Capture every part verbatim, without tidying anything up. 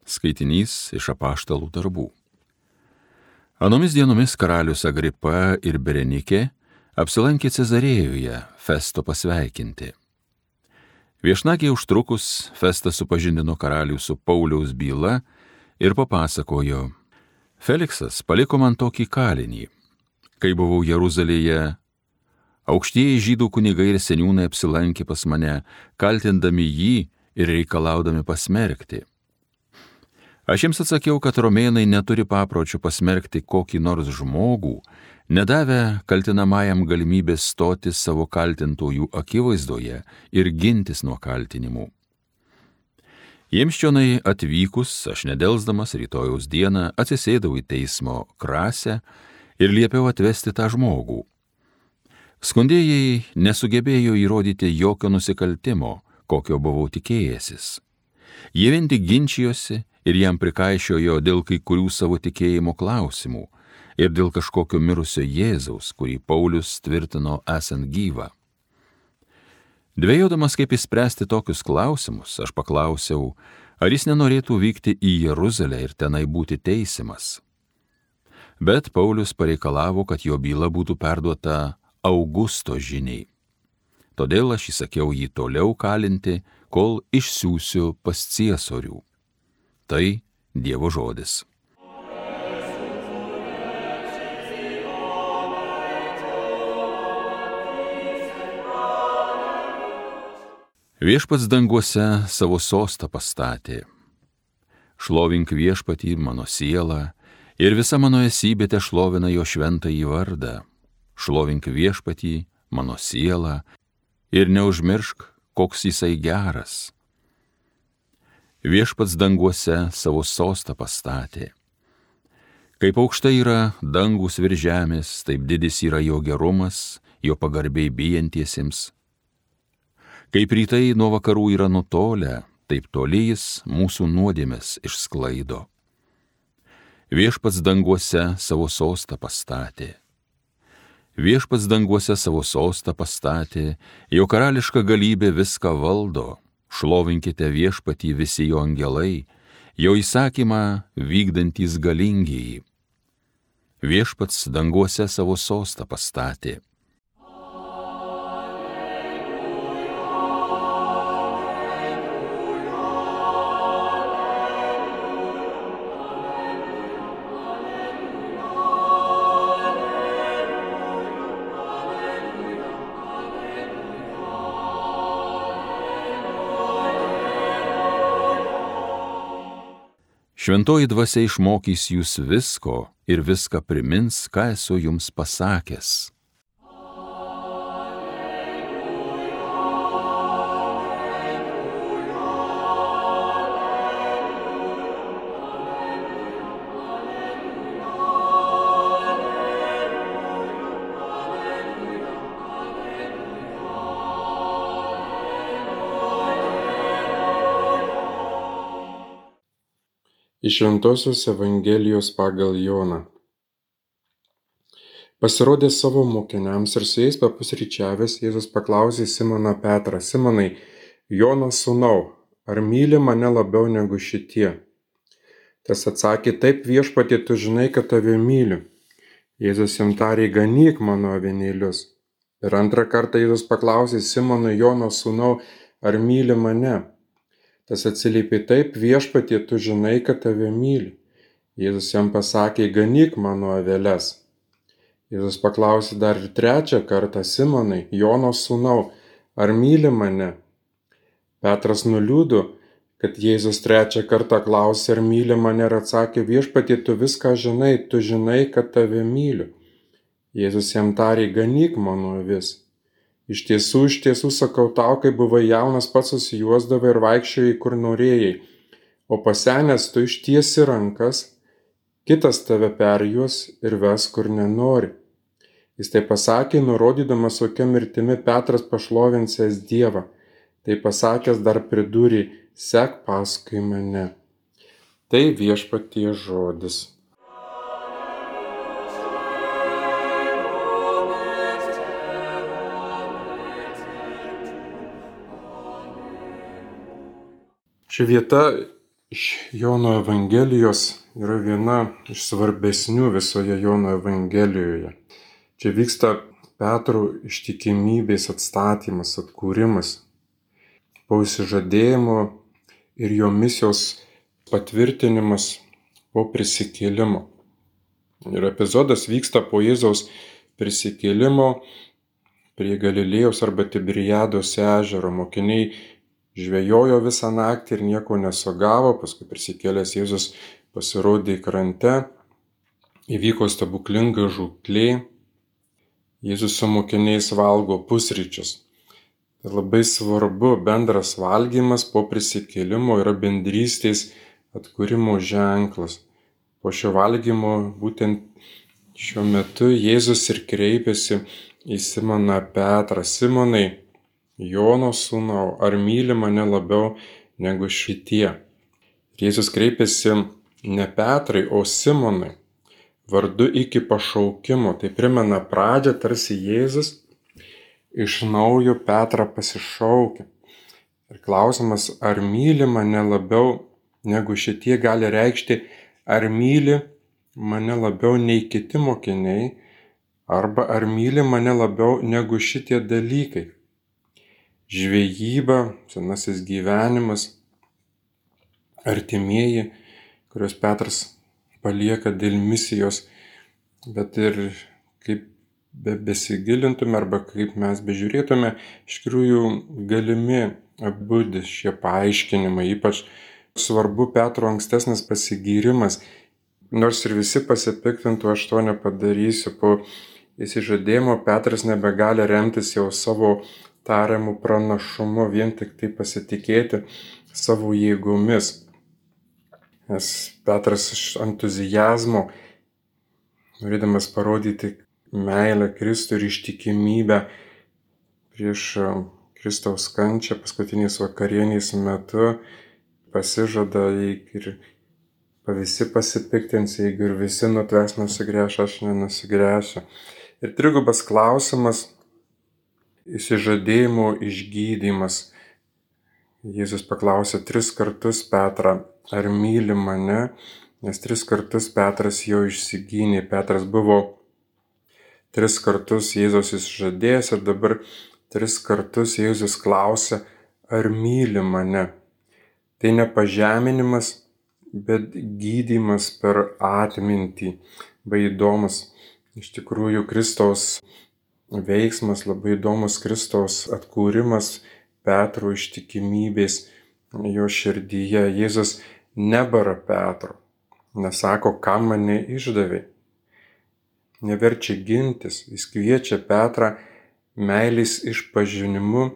Skaitinys iš Apaštalų darbų. Anomis dienomis karalius Agripa ir Berenikė apsilankė Cezarėjoje Festo pasveikinti. Viešnagiai užtrukus, Festas supažindino karalių su Pauliaus byla ir papasakojo: Feliksas paliko man tokį kalinį. Kai buvau Jeruzalėje, aukštieji žydų kunigai ir seniūnai apsilankė pas mane, kaltindami jį ir reikalaudami pasmerkti. Aš jiems atsakiau, kad romėnai neturi papročių pasmerkti kokį nors žmogų, nedavę kaltinamajam galimybės stoti savo kaltintojų akivaizdoje ir gintis nuo kaltinimų. Jiems čionai atvykus, aš nedelsdamas rytojaus dieną atsisėdau į teismo krasę ir liepiau atvesti tą žmogų. Skundėjai nesugebėjo įrodyti jokio nusikaltimo, kokio buvau tikėjęsis. Jie vien tik ginčijosi ir jam prikaišiojo dėl kai kurių savo tikėjimo klausimų ir dėl kažkokio mirusio Jėzaus, kurį Paulius tvirtino esant gyvą. Dvejodamas, kaip išspręsti tokius klausimus, aš paklausiau, ar jis nenorėtų vykti į Jeruzalę ir tenai būti teisiamas. Bet Paulius pareikalavo, kad jo byla būtų perduota Augusto žiniai. Todėl aš įsakiau jį toliau kalinti, kol išsiųsiu pas ciesorių. Tai Dievo žodis. Viešpats danguose savo sostą pastatė. Šlovink viešpatį mano siela ir visa mano esybė te šlovina jo šventąjį vardą. Šlovink viešpatį mano siela ir neužmiršk, koks jisai geras. Viešpats danguose savo sostą pastatė. Kaip aukštai yra dangus virš žemės, taip didis yra jo gerumas, jo pagarbiai bijantiesiems. Kaip rytai nuo vakarų yra nutolę, taip toli jis mūsų nuodėmes išsklaido. Viešpats danguose savo sostą pastatė. Viešpats danguose savo sostą pastatė, jo karališka galybė viską valdo. Šlovinkite viešpatį visi jo angelai, jo įsakymą vykdantys galingieji. Viešpats danguose savo sostą pastatė. Šventoji dvasia išmokys jūs visko ir viską primins, ką esu jums pasakęs. Iš Šventosios Evangelijos pagal Joną. Pasirodė savo mokiniams ir su jais papusryčiavęs, Jėzus paklausė Simoną Petrą: Simonai, Jono sūnau, ar myli mane labiau negu šitie? Tas atsakė: Taip, viešpatie, tu žinai, kad tave myliu. Jėzus jam tarė: Ganyk mano avinėlius. Ir antrą kartą Jėzus paklausė Simoną: Jono sūnau, ar myli mane? Tas atsiliepė: Taip, viešpatie, tu žinai, kad tave myliu. Jėzus jam pasakė: Ganyk mano aveles. Jėzus paklausė dar ir trečią kartą: Simonai, Jono sūnau, ar myli mane? Petras nuliūdo, kad Jėzus trečią kartą klausė, ar myli mane, ir atsakė: Viešpatie, tu viską žinai, tu žinai, kad tave myliu. Jėzus jam tarė: Ganyk mano avis. Iš tiesų, iš tiesų sakau tau, kai buvai jaunas, pats susijuosdavai ir vaikščiojai, kur norėjai, o pasenęs tu ištiesi rankas, kitas tave perjuos ir ves, kur nenori. Jis tai pasakė, nurodydamas, kokia mirtimi Petras pašlovinsęs Dievą. Tai pasakęs dar pridūrė: sek paskui mane. Tai viešpaties žodis. Ši vieta iš Jono Evangelijos yra viena iš svarbesnių visoje Jono Evangelijoje. Čia vyksta Petro ištikimybės atstatymas, atkūrimas po išsižadėjimo ir jo misijos patvirtinimas po prisikėlimo. Ir epizodas vyksta po Jėzaus prisikėlimo prie Galilėjos arba Tiberiados ežero. Mokiniai žvejojo visą naktį ir nieko nesugavo, paskui prisikėlęs Jėzus pasirodė krante, įvyko stebuklinga žūklė, Jėzus su mokiniais valgo pusryčius. Tai labai svarbu, bendras valgymas po prisikėlimo yra bendrystės atkūrimo ženklas. Po šio valgymo būtent šiuo metu Jėzus ir kreipėsi į Simoną Petrą. Simonai, Jono sūnau, ar myli mane labiau negu šitie? Jėzus kreipėsi ne Petrai, o Simonai, vardu iki pašaukimo. Tai primena pradžią, tarsi Jėzus iš naujo Petrą pasišaukia. Ir klausimas, ar myli mane labiau negu šitie, gali reikšti, ar myli mane labiau nei kiti mokiniai, arba ar myli mane labiau negu šitie dalykai. Žvejyba, senasis gyvenimas, artimieji, kuriuos Petras palieka dėl misijos, bet ir kaip be besigilintume arba kaip mes bežiūrėtume, iš tikrųjų galimi abu šie paaiškinimai, ypač svarbu Petro ankstesnis pasigyrimas. Nors ir visi pasipiktintų, aš to nepadarysiu. Po išsižadėjimo Petras nebegali remtis jau savo tariamų pranašumu, vien tik tai pasitikėti savo jėgomis. Nes Petras iš entuzijazmo, norėdamas parodyti meilę Kristui ir ištikimybę prieš Kristaus kančią paskutinės vakarienės metu, pasižada, jeigu ir visi pasipiktins, jeigu ir visi nutves nusigręš, aš nenusigręšiu. Ir trigubas klausimas, išsižadėjimo išgydymas. Jėzus paklausė tris kartus Petrą, ar myli mane, nes tris kartus Petras jo išsigynė. Petras buvo tris kartus Jėzus išžadėjęs ir dabar tris kartus Jėzus klausė, ar myli mane. Tai ne pažeminimas, bet gydymas per atmintį. Labai įdomus iš tikrųjų Kristaus veiksmas, labai įdomus Kristaus atkūrimas Petro ištikimybės jo širdyje. Jėzus nebara Petro, nesako, kam mane išdavė, neverčia gintis, jis kviečia Petrą meilės išpažinimu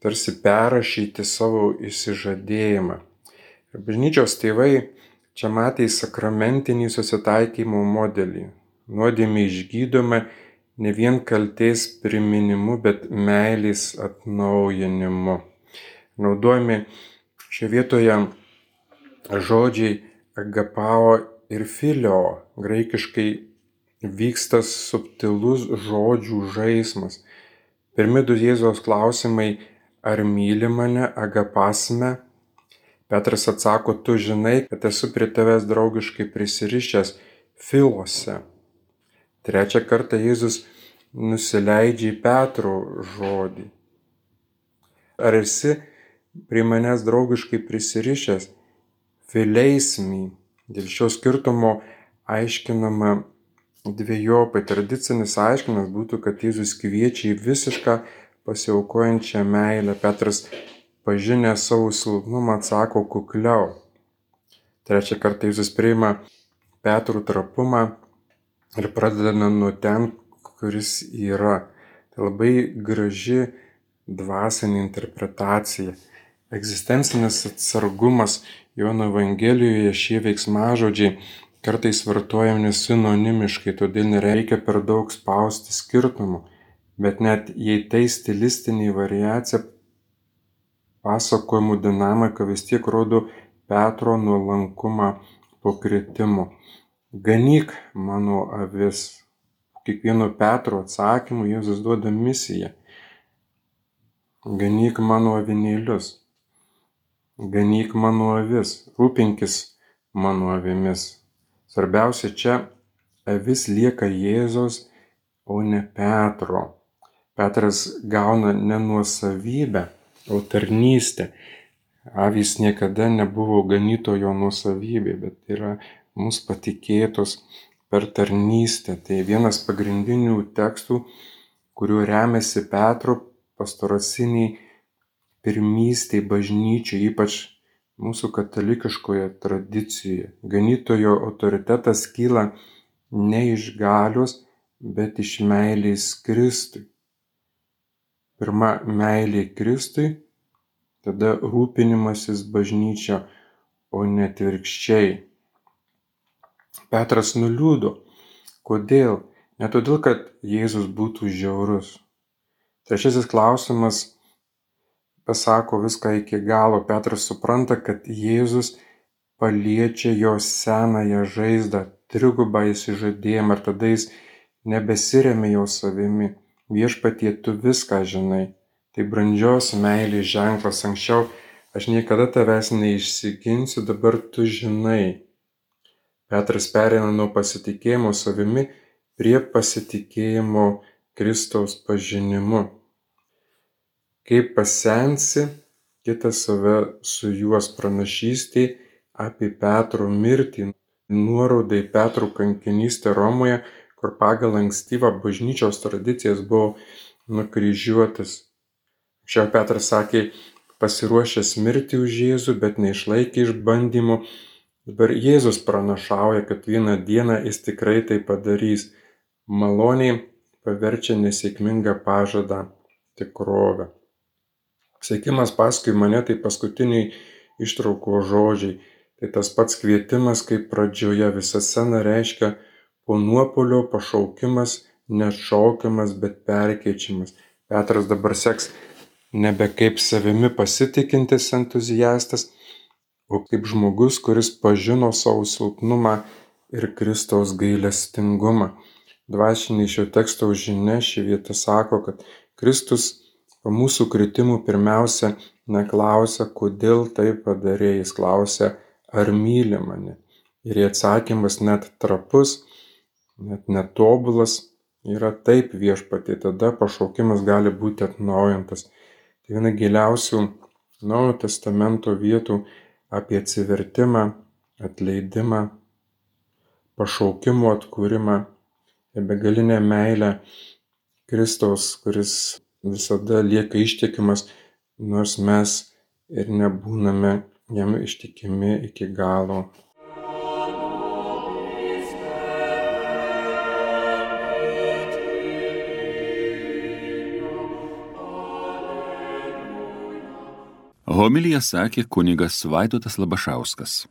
tarsi perrašyti savo išsižadėjimą. Ir bažnyčios tėvai čia matė sakramentinį susitaikymo modelį. Nuodėmė išgydoma ne vien kaltės priminimu, bet meilės atnaujinimu. Naudojami šioje vietoje žodžiai agapao ir filio. Graikiškai vyksta subtilus žodžių žaismas. Pirmi du Jėzaus klausimai, ar myli mane, agapasme. Petras atsako, tu žinai, kad esu prie tavęs draugiškai prisirišęs, filose. Trečią kartą Jėzus nusileidžia į Petro žodį. Ar esi prie manęs draugiškai prisirišęs, fileismi. Dėl šio skirtumo aiškinama dvejopai. Tradicinis aiškinimas būtų, kad Jėzus kviečia į visišką pasiaukojančią meilę. Petras pažinęs savo silpnumą atsako kukliau. Trečią kartą Jėzus priima Petro trapumą ir pradeda nuo ten, kuris yra. Tai labai graži dvasinė interpretacija. Egzistencinis atsargumas Jono Evangelijoje, šie veiksmažodžiai kartais vartojami sinonimiškai, todėl nereikia per daug spausti skirtumų. Bet net jei tai stilistinė variacija, pasakojimų dinamika vis tiek rodo Petro nuolankumą po kritimo. Ganyk mano avis. Kiekvieno Petro atsakymu Jėzus duoda misiją. Ganyk mano avinėlius. ganyk mano avis, rūpinkis mano avimis. Svarbiausia čia avis lieka Jėzaus, o ne Petro. Petras gauna ne nuosavybę, o tarnystę. Avys niekada nebuvo ganytojo nuosavybė, bet yra mums patikėtos per tarnystę. Tai vienas pagrindinių tekstų, kuriuo remiasi Petro pastoraciniai pirmystėj bažnyčiai, ypač mūsų katalikiškoje tradicijoje. Ganytojo autoritetas kyla ne iš galios, bet iš meilės Kristui. Pirma meilė Kristui, tada rūpinimasis bažnyčia, o ne atvirkščiai. Petras nuliūdo. Kodėl? Ne todėl, kad Jėzus būtų žiaurus. Trečiasis klausimas pasako viską iki galo. Petras supranta, kad Jėzus paliečia jo senąją žaizdą, trigubą išsižadėjimą, ir tada jis nebesiremia jo savimi. Viešpatie, tu viską žinai. Tai brandžios meilės ženklas. Anksčiau aš niekada tavęs neišsiginsiu, dabar tu žinai. Petras pereina nuo pasitikėjimo savimi prie pasitikėjimo Kristaus pažinimu. Kai pasensi, kitas save sujuos. Pranašystė apie Petro mirtį, nuoroda į Petro kankinystę Romoje, kur pagal ankstyvą bažnyčios tradicijas buvo nukryžiuotas. Anksčiau Petras sakė, pasiruošęs mirti už Jėzų, bet neišlaikė išbandymų. Dabar Jėzus pranašauja, kad vieną dieną jis tikrai tai padarys. Maloniai paverčia nesėkmingą pažadą tikrovę. Sekimas paskui mane tai paskutiniai ištraukos žodžiai. Tai tas pats kvietimas, kaip pradžioje. Visa scena reiškia po nuopuolio pašaukimas, neatšaukiamas, bet perkeičiamas. Petras dabar seks nebe kaip savimi pasitikintis entuziastas, o kaip žmogus, kuris pažino savo silpnumą ir Kristaus gailestingumą. Dvasinė šio teksto žinia ši vieta sako, kad Kristus po mūsų kritimų pirmiausia neklausia, kodėl tai padarė, jis klausia, ar myli mane. Ir į atsakymas net trapus, net netobulas yra taip, viešpatie, tada pašaukimas gali būti atnaujintas. Tai viena giliausių Naujojo Testamento vietų apie atsivertimą, atleidimą, pašaukimo atkūrimą ir begalinę meilę Kristaus, kuris visada lieka ištikimas, nors mes ir nebūname jam ištikimi iki galo. Homiliją sakė kunigas Vaidotas Labašauskas.